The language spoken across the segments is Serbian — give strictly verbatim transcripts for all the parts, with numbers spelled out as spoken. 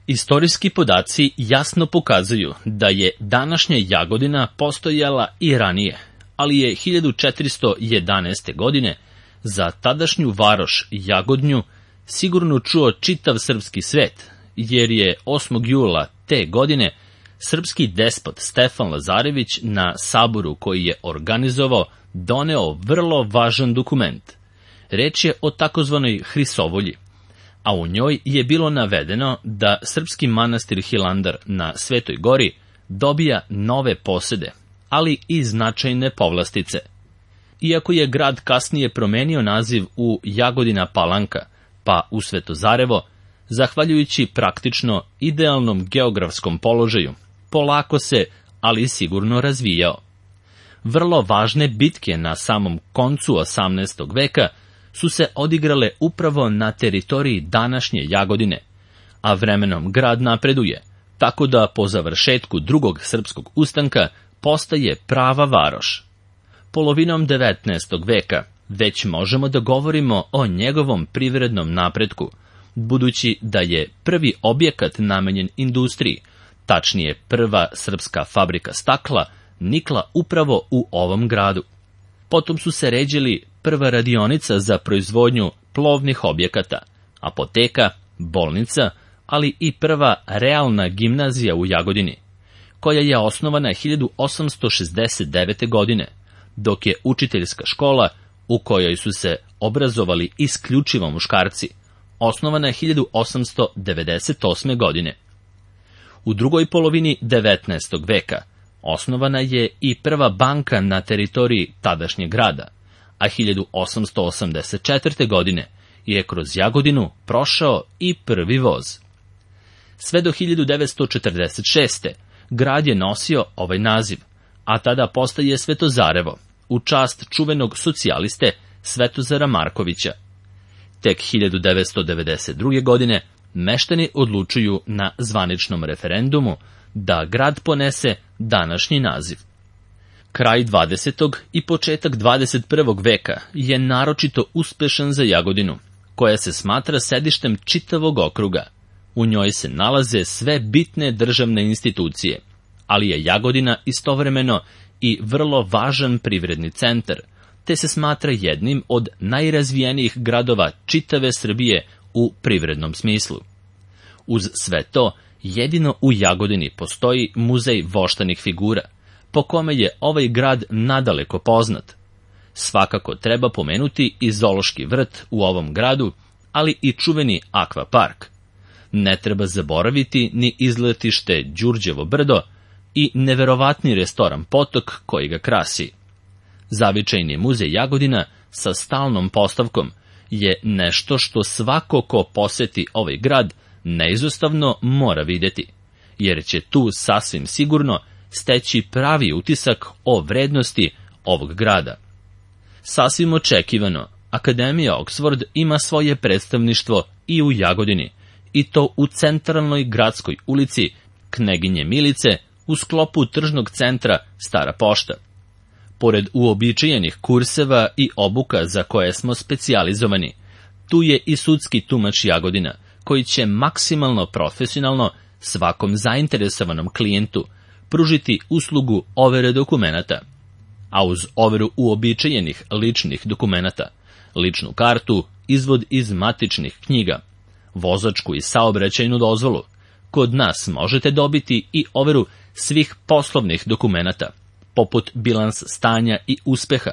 Istorijski podaci jasno pokazuju da je današnja Jagodina postojala i ranije, ali je hiljadu četiristo jedanaeste. godine za tadašnju varoš Jagodnju sigurno čuo čitav srpski svet, jer je osmog jula te godine srpski despot Stefan Lazarević na saboru koji je organizovao doneo vrlo važan dokument. Reč je o takozvanoj Hrisovolji, a u njoj je bilo navedeno da srpski manastir Hilandar na Svetoj gori dobija nove posede, ali i značajne povlastice. Iako je grad kasnije promenio naziv u Jagodina Palanka, pa u Svetozarevo, zahvaljujući praktično idealnom geografskom položaju, polako se, ali sigurno razvijao. Vrlo važne bitke na samom koncu osamnaestog veka su se odigrale upravo na teritoriji današnje Jagodine, a vremenom grad napreduje, tako da po završetku drugog srpskog ustanka postaje prava varoš. Polovinom devetnaestog veka već možemo da govorimo o njegovom privrednom napretku, budući da je prvi objekat namenjen industriji, tačnije prva srpska fabrika stakla, nikla upravo u ovom gradu. Potom su se ređili prva radionica za proizvodnju plovnih objekata, apoteka, bolnica, ali i prva realna gimnazija u Jagodini, koja je osnovana hiljadu osamsto šezdeset devete. godine, dok je učiteljska škola, u kojoj su se obrazovali isključivo muškarci, osnovana je hiljadu osamsto devedeset osme. godine. U drugoj polovini devetnaestog veka osnovana je i prva banka na teritoriji tadašnjeg grada, a hiljadu osamsto osamdeset četvrte. godine je kroz Jagodinu prošao i prvi voz. Sve do hiljadu devetsto četrdeset šeste. grad je nosio ovaj naziv, a tada postaje Svetozarevo, u čast čuvenog socijaliste Svetozara Markovića. Tek hiljadu devetsto devedeset druge. godine meštani odlučuju na zvaničnom referendumu da grad ponese današnji naziv. Kraj dvadesetog i početak dvadeset prvog. veka je naročito uspešan za Jagodinu, koja se smatra sedištem čitavog okruga. U njoj se nalaze sve bitne državne institucije, ali je Jagodina istovremeno i vrlo važan privredni centar, te se smatra jednim od najrazvijenijih gradova čitave Srbije u privrednom smislu. Uz sve to, jedino u Jagodini postoji muzej voštanih figura, po kome je ovaj grad nadaleko poznat. Svakako treba pomenuti i zoološki vrt u ovom gradu, ali i čuveni akvapark. Ne treba zaboraviti ni izletište Đurđevo brdo i neverovatni restoran Potok koji ga krasi. Zavičajni muzej Jagodina sa stalnom postavkom je nešto što svako ko poseti ovaj grad neizostavno mora videti, jer će tu sasvim sigurno steći pravi utisak o vrednosti ovog grada. Sasvim očekivano, Akademija Oxford ima svoje predstavništvo i u Jagodini, i to u centralnoj gradskoj ulici Kneginje Milice u sklopu tržnog centra Stara pošta. Pored uobičajenih kurseva i obuka za koje smo specijalizovani, tu je i sudski tumač Jagodina, koji će maksimalno profesionalno svakom zainteresovanom klijentu pružiti uslugu overe dokumenata, a uz overu uobičajenih ličnih dokumenata, ličnu kartu, izvod iz matičnih knjiga, vozačku i saobraćajnu dozvolu, kod nas možete dobiti i overu svih poslovnih dokumenata, poput bilans stanja i uspeha,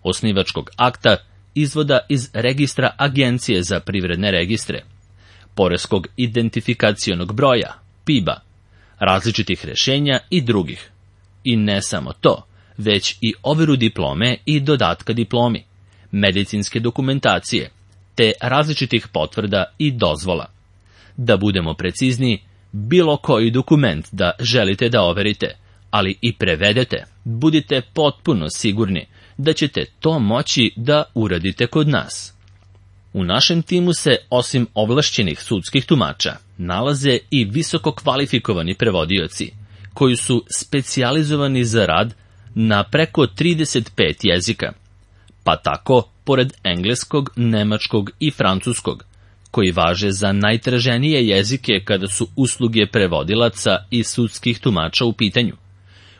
osnivačkog akta, izvoda iz registra Agencije za privredne registre, poreskog identifikacionog broja, P I B-a, različitih rešenja i drugih. I ne samo to, već i overu diplome i dodatka diplomi, medicinske dokumentacije, te različitih potvrda i dozvola. Da budemo precizniji, bilo koji dokument da želite da overite, ali i prevedete, budite potpuno sigurni da ćete to moći da uradite kod nas. U našem timu se, osim ovlašćenih sudskih tumača, nalaze i visoko kvalifikovani prevodioci, koji su specijalizovani za rad na preko trideset pet jezika, pa tako, pored engleskog, nemačkog i francuskog, koji važe za najtraženije jezike kada su usluge prevodilaca i sudskih tumača u pitanju.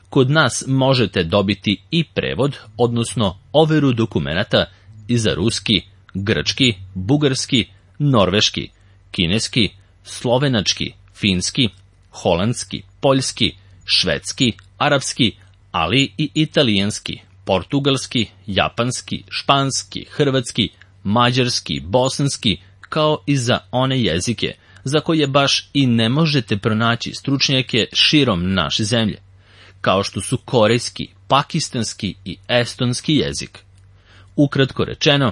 Kod nas možete dobiti i prevod, odnosno overu dokumenata i za ruski, grčki, bugarski, norveški, kineski, slovenački, finski, holandski, poljski, švedski, arapski, ali i italijanski, portugalski, japanski, španski, hrvatski, mađarski, bosanski, kao i za one jezike za koje baš i ne možete pronaći stručnjake širom naše zemlje, kao što su korejski, pakistanski i estonski jezik. Ukratko rečeno,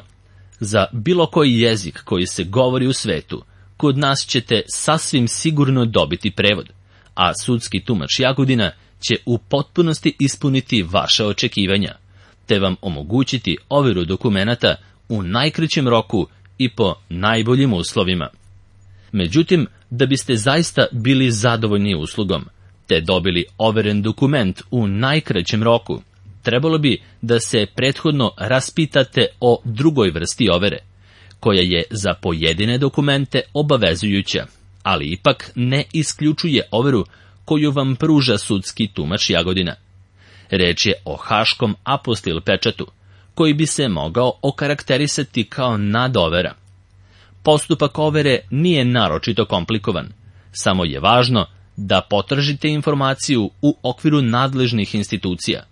za bilo koji jezik koji se govori u svetu, kod nas ćete sasvim sigurno dobiti prevod, a sudski tumač Jagodina će u potpunosti ispuniti vaše očekivanja, te vam omogućiti overu dokumenata u najkraćem roku i po najboljim uslovima. Međutim, da biste zaista bili zadovoljni uslugom, te dobili overen dokument u najkraćem roku, trebalo bi da se prethodno raspitate o drugoj vrsti overe, koja je za pojedine dokumente obavezujuća, ali ipak ne isključuje overu koju vam pruža sudski tumač Jagodina. Reč je o haškom apostil pečatu, koji bi se mogao okarakterisati kao nadovera. Postupak overe nije naročito komplikovan, samo je važno da potražite informaciju u okviru nadležnih institucija,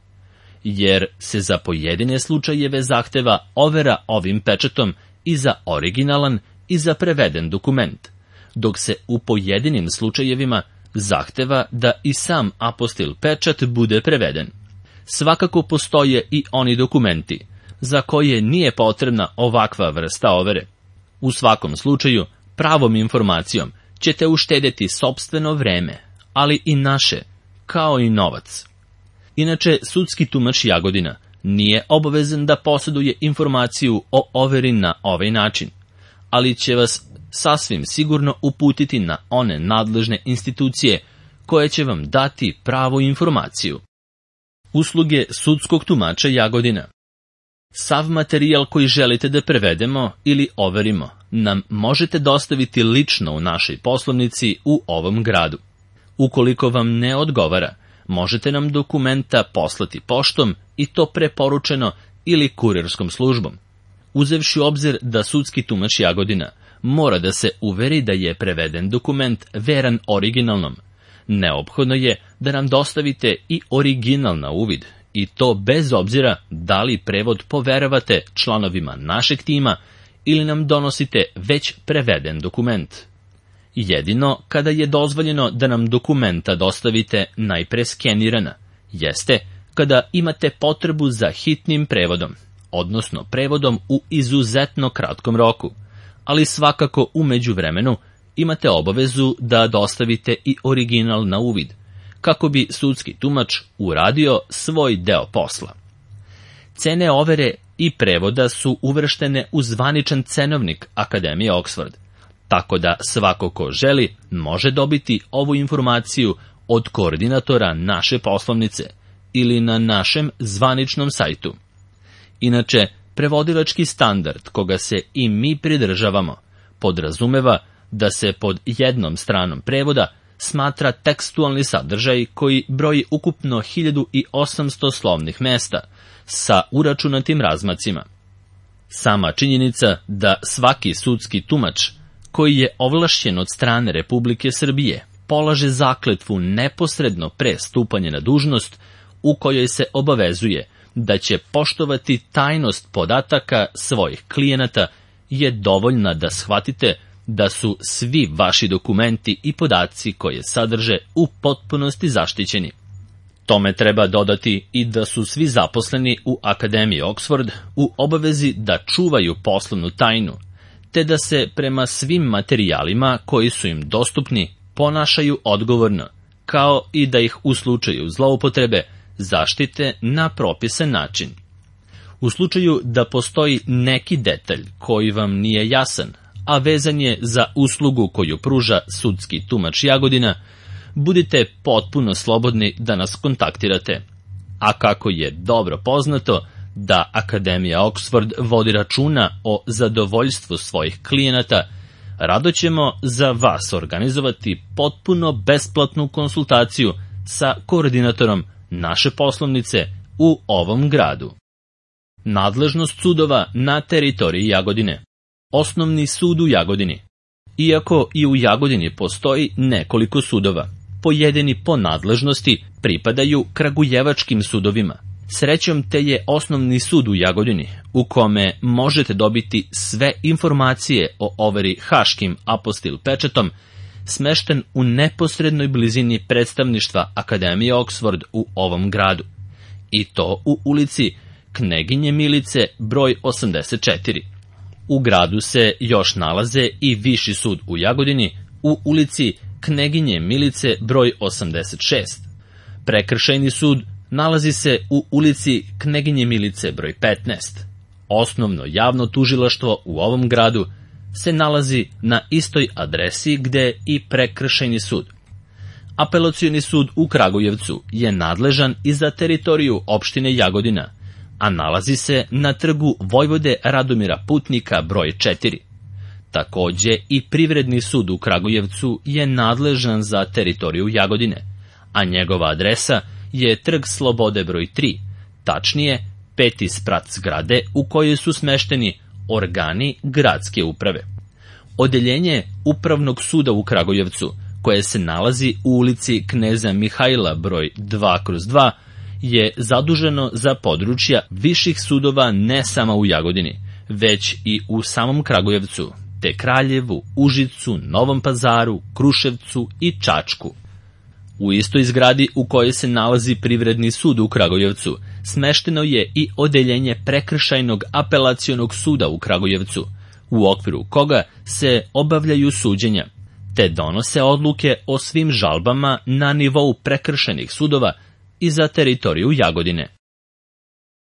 jer se za pojedine slučajeve zahteva overa ovim pečatom i za originalan i za preveden dokument, dok se u pojedinim slučajevima zahteva da i sam apostil pečat bude preveden. Svakako postoje i oni dokumenti za koje nije potrebna ovakva vrsta overe. U svakom slučaju, pravom informacijom ćete uštedeti sopstveno vreme, ali i naše, kao i novac. Inače, sudski tumač Jagodina nije obavezan da posjeduje informaciju o overi na ovaj način, ali će vas sasvim sigurno uputiti na one nadležne institucije koje će vam dati pravu informaciju. Usluge sudskog tumača Jagodina. Sav materijal koji želite da prevedemo ili overimo nam možete dostaviti lično u našoj poslovnici u ovom gradu. Ukoliko vam ne odgovara, možete nam dokumenta poslati poštom i to preporučeno ili kurirskom službom. Uzevši u obzir da sudski tumač Jagodina mora da se uveri da je preveden dokument veran originalnom, neophodno je da nam dostavite i original na uvid, i to bez obzira da li prevod poveravate članovima našeg tima ili nam donosite već preveden dokument. Jedino kada je dozvoljeno da nam dokumenta dostavite najpre skenirana, jeste kada imate potrebu za hitnim prevodom, odnosno prevodom u izuzetno kratkom roku, ali svakako u međuvremenu imate obavezu da dostavite i original na uvid, kako bi sudski tumač uradio svoj deo posla. Cene overe i prevoda su uvrštene u zvaničan cenovnik Akademije Oxford, tako da svako ko želi može dobiti ovu informaciju od koordinatora naše poslovnice ili na našem zvaničnom sajtu. Inače, prevodilački standard koga se i mi pridržavamo podrazumeva da se pod jednom stranom prevoda smatra tekstualni sadržaj koji broji ukupno hiljadu osamsto slovnih mesta sa uračunatim razmacima. Sama činjenica da svaki sudski tumač koji je ovlašćen od strane Republike Srbije polaže zakletvu neposredno pre stupanja na dužnost u kojoj se obavezuje da će poštovati tajnost podataka svojih klijenata je dovoljna da shvatite da su svi vaši dokumenti i podaci koje sadrže u potpunosti zaštićeni. Tome treba dodati i da su svi zaposleni u Akademiji Oxford u obavezi da čuvaju poslovnu tajnu, te da se prema svim materijalima koji su im dostupni ponašaju odgovorno, kao i da ih u slučaju zloupotrebe zaštite na propisan način. U slučaju da postoji neki detalj koji vam nije jasan, a vezan je za uslugu koju pruža sudski tumač Jagodina, budite potpuno slobodni da nas kontaktirate. A kako je dobro poznato da Akademija Oxford vodi računa o zadovoljstvu svojih klijenata, rado ćemo za vas organizovati potpuno besplatnu konsultaciju sa koordinatorom naše poslovnice u ovom gradu. Nadležnost sudova na teritoriji Jagodine. Osnovni sud u Jagodini. Iako i u Jagodini postoji nekoliko sudova, pojedini po nadležnosti pripadaju kragujevačkim sudovima. Srećom te je osnovni sud u Jagodini, u kome možete dobiti sve informacije o overi haškim apostil pečatom, smešten u neposrednoj blizini predstavništva Akademije Oxford u ovom gradu. I to u ulici Kneginje Milice broj osamdeset četiri. U gradu se još nalaze i Viši sud u Jagodini u ulici Kneginje Milice broj osamdeset šest. Prekršajni sud nalazi se u ulici Kneginje Milice broj petnaest. Osnovno javno tužilaštvo u ovom gradu se nalazi na istoj adresi gde i prekršajni sud. Apelacioni sud u Kragujevcu je nadležan i za teritoriju opštine Jagodina, a nalazi se na trgu Vojvode Radomira Putnika broj četiri. Takođe i privredni sud u Kragujevcu je nadležan za teritoriju Jagodine, a njegova adresa je trg Slobode broj tri, tačnije peti sprat zgrade u kojoj su smešteni organi gradske uprave. Odeljenje Upravnog suda u Kragujevcu, koje se nalazi u ulici Kneza Mihajla broj dva kroz dva, je zaduženo za područja viših sudova ne samo u Jagodini, već i u samom Kragujevcu, te Kraljevu, Užicu, Novom Pazaru, Kruševcu i Čačku. U istoj zgradi u kojoj se nalazi privredni sud u Kragujevcu, smešteno je i odeljenje Prekršajnog apelacionog suda u Kragujevcu, u okviru koga se obavljaju suđenja, te donose odluke o svim žalbama na nivou prekršajnih sudova i za teritoriju Jagodine.